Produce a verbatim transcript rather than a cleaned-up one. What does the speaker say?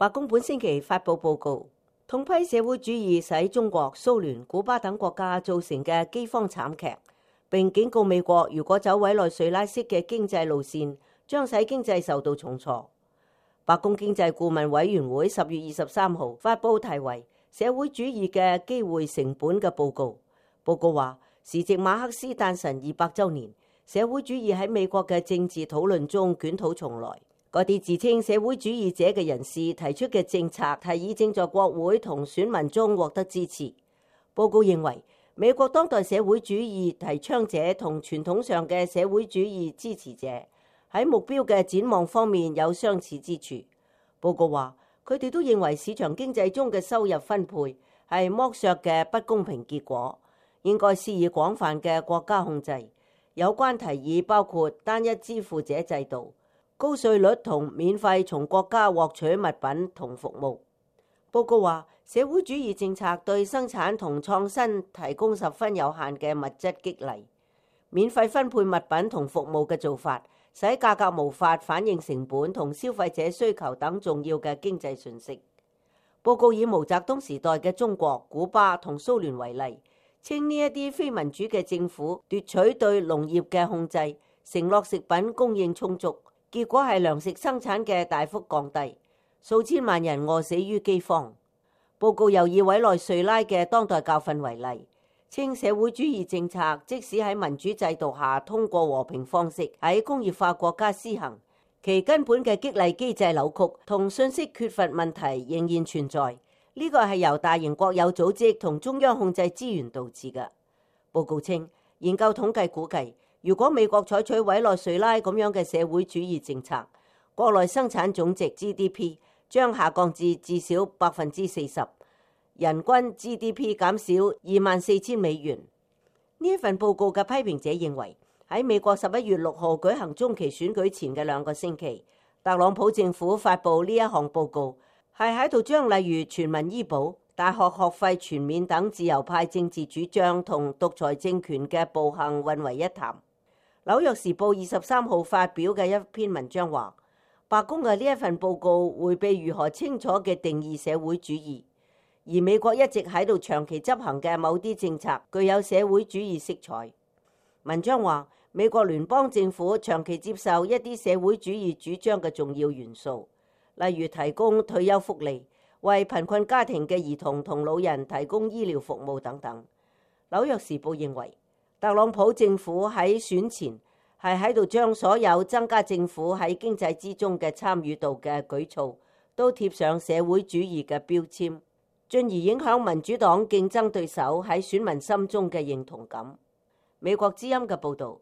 白宮本星期發布報告，痛批社會主義使中國、蘇聯、古巴等國家造成嘅饑荒慘劇，並警告美國如果走委內瑞拉式嘅經濟路線，將使經濟受到重挫。白宮經濟顧問委員會十月二十三號發布題為《社會主義嘅機會成本》嘅報告。報告話，時值馬克思誕辰二百週年，社會主義喺美國嘅政治討論中捲土重來。嗰啲自稱社會主義者嘅人士提出嘅政策提議正在國會同選民中獲得支持。報告認為，美國當代社會主義提倡者同傳統上嘅社會主義支持者喺目標嘅展望方面有相似之處。報告話，佢哋都認為市場經濟中嘅收入分配係剝削嘅不公平結果，應該施以廣泛嘅國家控制。有關提議包括單一支付者制度、高稅率同免費從國家獲取物品同服務。報告話，社會主義政策對生產同創新提供十分有限嘅物質激勵，免費分配物品同服務嘅做法，使價格無法反映成本同消費者需求等重要嘅經濟訊息。報告以毛澤東時代嘅中國、古巴同蘇聯為例，稱呢一啲非民主嘅政府奪取對農業嘅控制，承諾食品供應充足。結果係糧食生產嘅大幅降低，數千萬人餓死於饑荒。報告又以委內瑞拉嘅當代教訓為例，稱社會主義政策即使喺民主制度下通過和平方式喺工業化國家施行，其根本嘅激勵機制扭曲同信息缺乏問題仍然存在。呢個係由大型國有組織同中央控制資源導致嘅。報告稱，研究統計估計，如果美國採取委內瑞拉咁樣嘅社會主義政策，國內生產總值 G D P 將下降至至少百分之四十，人均 G D P 減少二萬四千美元。呢一份報告嘅批評者認為，喺美國十一月六號舉行中期選舉前嘅兩個星期，特朗普政府發布呢一項報告，係喺度將例如全民醫保、大學學費全免等自由派政治主張同獨裁政權嘅暴行混為一談。紐約時報二十三號發表嘅一篇文章話，白宮嘅呢一份報告迴避如何清楚嘅定義社會主義，而美國一直喺度長期執行嘅某啲政策具有社會主義色彩。文章話，美國聯邦政府長期接受一啲社會主義主張嘅重要元素，例如提供退休福利、為貧困家庭嘅兒童同老人提供醫療服務等等。紐約時報認為，特朗普政府喺選前係喺度將所有增加政府喺經濟之中嘅參與度嘅舉措都貼上社會主義嘅標籤，進而影響民主黨競爭對手喺選民心中嘅認同感。美國之音嘅報導。